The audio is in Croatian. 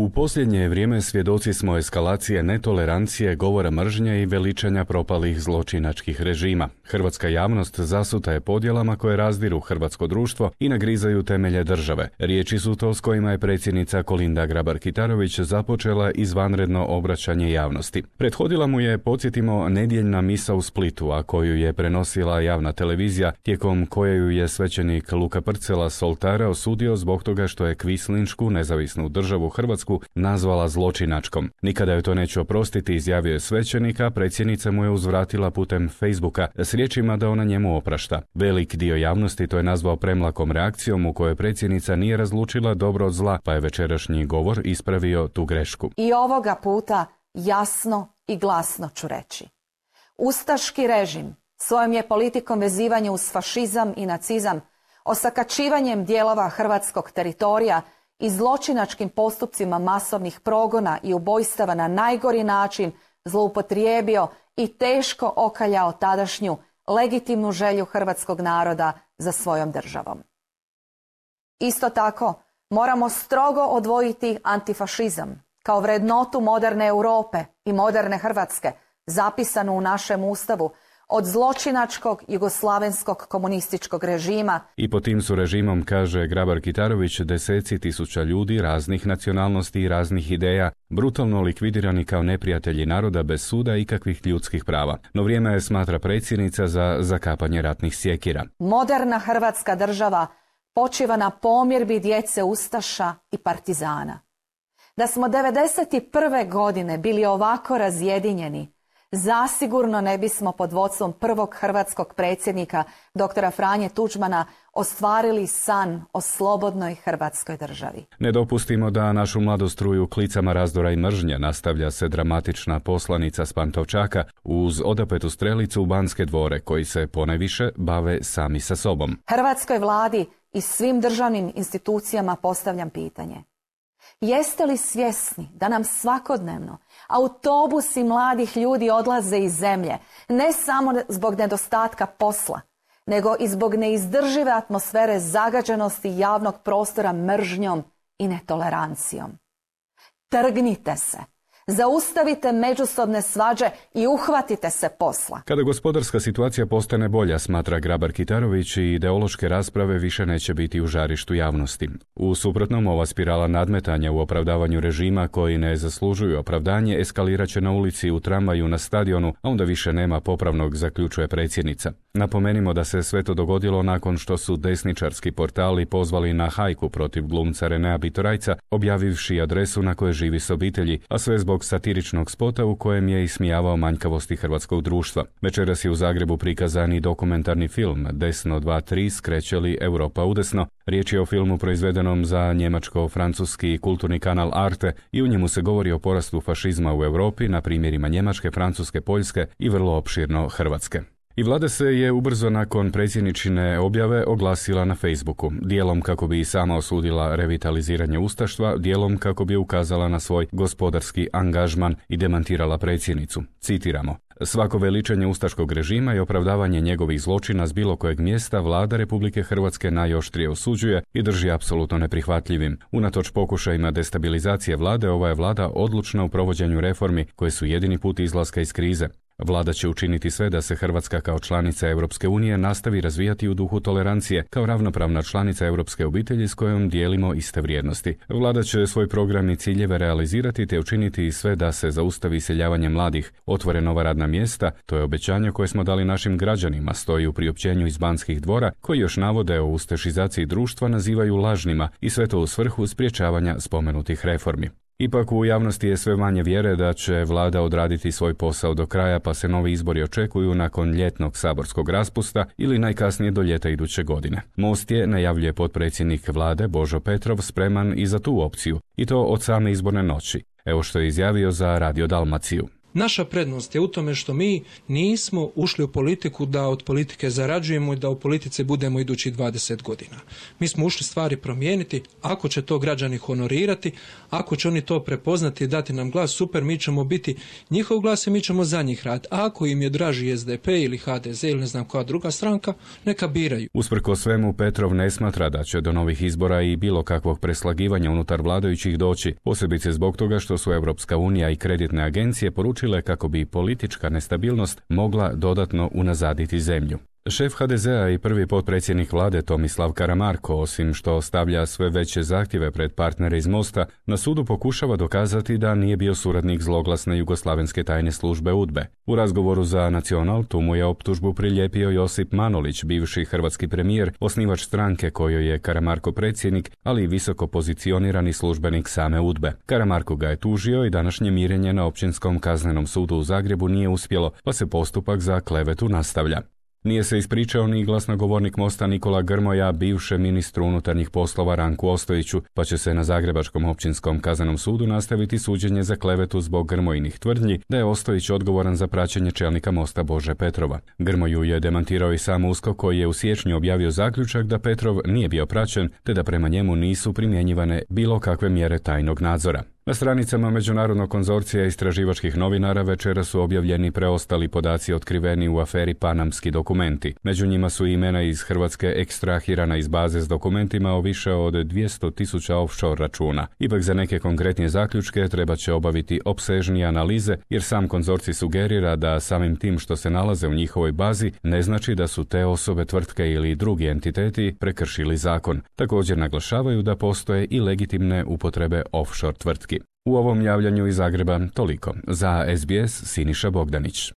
U posljednje vrijeme svjedoci smo eskalacije netolerancije, govora mržnje i veličanja propalih zločinačkih režima. Hrvatska javnost zasuta je podjelama koje razdiru hrvatsko društvo i nagrizaju temelje države. Riječi su to s kojima je predsjednica Kolinda Grabar-Kitarović započela izvanredno obraćanje javnosti. Prethodila mu je, podsjetimo, nedjeljna misa u Splitu, a koju je prenosila javna televizija, tijekom koje ju je svećenik Luka Prcela s oltara osudio zbog toga što je kvislinšku nezavisnu državu Hrvatsku nazvala zločinačkom. Nikada joj to neću oprostiti, izjavio je svećenika, predsjednica mu je uzvratila putem Facebooka s riječima da ona njemu oprašta. Velik dio javnosti to je nazvao premlakom reakcijom u kojoj predsjednica nije razlučila dobro od zla, pa je večerašnji govor ispravio tu grešku. I ovoga puta jasno i glasno ću reći. Ustaški režim svojom je politikom vezivanja uz fašizam i nacizam, osakačivanjem dijelova hrvatskog teritorija i zločinačkim postupcima masovnih progona i ubojstava na najgori način zloupotrijebio i teško okaljao tadašnju legitimnu želju hrvatskog naroda za svojom državom. Isto tako, moramo strogo odvojiti antifašizam kao vrednotu moderne Europe i moderne Hrvatske, zapisanu u našem Ustavu, od zločinačkog jugoslavenskog komunističkog režima. I pod tim su režimom, kaže Grabar-Kitarović, deseci tisuća ljudi raznih nacionalnosti i raznih ideja brutalno likvidirani kao neprijatelji naroda bez suda i kakvih ljudskih prava. No vrijeme je, smatra predsjednica, za zakapanje ratnih sjekira. Moderna Hrvatska država počiva na pomirbi djece ustaša i partizana. Da smo 1991. godine bili ovako razjedinjeni, zasigurno ne bismo pod vodstvom prvog hrvatskog predsjednika, doktora Franje Tuđmana, ostvarili san o slobodnoj Hrvatskoj državi. Ne dopustimo da našu mladu struju klicama razdora i mržnje, nastavlja se dramatična poslanica s Pantovčaka uz odapetu strelicu u Banske dvore, koji se ponajviše bave sami sa sobom. Hrvatskoj vladi i svim državnim institucijama postavljam pitanje. Jeste li svjesni da nam svakodnevno autobusi mladih ljudi odlaze iz zemlje, ne samo zbog nedostatka posla, nego i zbog neizdržive atmosfere zagađenosti javnog prostora mržnjom i netolerancijom? Trgnite se! Zaustavite međusobne svađe i uhvatite se posla. Kada gospodarska situacija postane bolja, smatra Grabar-Kitarović, i ideološke rasprave više neće biti u žarištu javnosti. U suprotnom, ova spirala nadmetanja u opravdavanju režima koji ne zaslužuju opravdanje eskalirat će na ulici, u tramvaju, na stadionu, a onda više nema popravnog, zaključuje predsjednica. Napomenimo da se sve to dogodilo nakon što su desničarski portali pozvali na hajku protiv glumca Renea Bitorajca, objavivši adresu na kojoj živi s obitelji, a sve zbog satiričnog spota u kojem je ismijavao manjkavosti hrvatskog društva. Večeras je u Zagrebu prikazan i dokumentarni film Desno 2-3 skreće li Europa udesno. Riječ je o filmu proizvedenom za njemačko-francuski kulturni kanal Arte i u njemu se govori o porastu fašizma u Europi na primjerima Njemačke, Francuske, Poljske i vrlo opširno Hrvatske. I vlada se je ubrzo nakon predsjedničine objave oglasila na Facebooku, dijelom kako bi i sama osudila revitaliziranje ustaštva, dijelom kako bi ukazala na svoj gospodarski angažman i demantirala predsjednicu. Citiramo: svako veličanje ustaškog režima i opravdavanje njegovih zločina s bilo kojeg mjesta vlada Republike Hrvatske najoštrije osuđuje i drži apsolutno neprihvatljivim. Unatoč pokušajima destabilizacije vlade, ova je vlada odlučna u provođenju reformi koje su jedini put izlaska iz krize. Vlada će učiniti sve da se Hrvatska kao članica Europske unije nastavi razvijati u duhu tolerancije, kao ravnopravna članica europske obitelji s kojom dijelimo iste vrijednosti. Vlada će svoj program i ciljeve realizirati te učiniti sve da se zaustavi iseljavanje mladih, otvore nova radna mjesta. To je obećanje koje smo dali našim građanima, stoji u priopćenju iz Banskih dvora, koji još navode o ustašizaciji društva nazivaju lažnima i sve to u svrhu sprječavanja spomenutih reformi. Ipak u javnosti je sve manje vjere da će vlada odraditi svoj posao do kraja, pa se novi izbori očekuju nakon ljetnog saborskog raspusta ili najkasnije do ljeta iduće godine. Most je, najavljuje potpredsjednik vlade Božo Petrov, spreman i za tu opciju, i to od same izborne noći. Evo što je izjavio za Radio Dalmaciju. Naša prednost je u tome što mi nismo ušli u politiku da od politike zarađujemo i da u politici budemo idućih 20 godina. Mi smo ušli stvari promijeniti, ako će to građani honorirati, ako će oni to prepoznati i dati nam glas, super, mi ćemo biti njihov glas i mi ćemo za njih raditi. A ako im je draži SDP ili HDZ ili ne znam koja druga stranka, neka biraju. Usprkos svemu, Petrov ne smatra da će do novih izbora i bilo kakvog preslagivanja unutar vladajućih doći, posebice zbog toga što su Europska unija i kreditne agencije poručile kako bi politička nestabilnost mogla dodatno unazaditi zemlju. Šef HDZ-a i prvi potpredsjednik vlade Tomislav Karamarko, osim što stavlja sve veće zahtjeve pred partnere iz Mosta, na sudu pokušava dokazati da nije bio suradnik zloglasne jugoslavenske tajne službe UDBE. U razgovoru za Nacional tu mu je optužbu prilijepio Josip Manolić, bivši hrvatski premijer, osnivač stranke kojoj je Karamarko predsjednik, ali i visoko pozicionirani službenik same UDBE. Karamarko ga je tužio i današnje mirenje na Općinskom kaznenom sudu u Zagrebu nije uspjelo, pa se postupak za klevetu nastavlja. Nije se ispričao ni glasnogovornik Mosta Nikola Grmoja, bivšem ministru unutarnjih poslova Ranku Ostojiću, pa će se na Zagrebačkom općinskom kaznenom sudu nastaviti suđenje za klevetu zbog Grmojinih tvrdnji da je Ostojić odgovoran za praćenje čelnika Mosta Bože Petrova. Grmoju je demantirao i sam USKOK koji je u siječnju objavio zaključak da Petrov nije bio praćen te da prema njemu nisu primjenjivane bilo kakve mjere tajnog nadzora. Na stranicama Međunarodnog konzorcija istraživačkih novinara večeras su objavljeni preostali podaci otkriveni u aferi Panamski dokumenti. Među njima su imena iz Hrvatske ekstrahirana iz baze s dokumentima o više od 200.000 offshore računa. Ipak za neke konkretnije zaključke treba će obaviti opsežnije analize, jer sam konzorcij sugerira da samim tim što se nalaze u njihovoj bazi ne znači da su te osobe, tvrtke ili drugi entiteti prekršili zakon. Također naglašavaju da postoje i legitimne upotrebe offshore tvrtki. U ovom javljanju iz Zagreba toliko. Za SBS Siniša Bogdanić.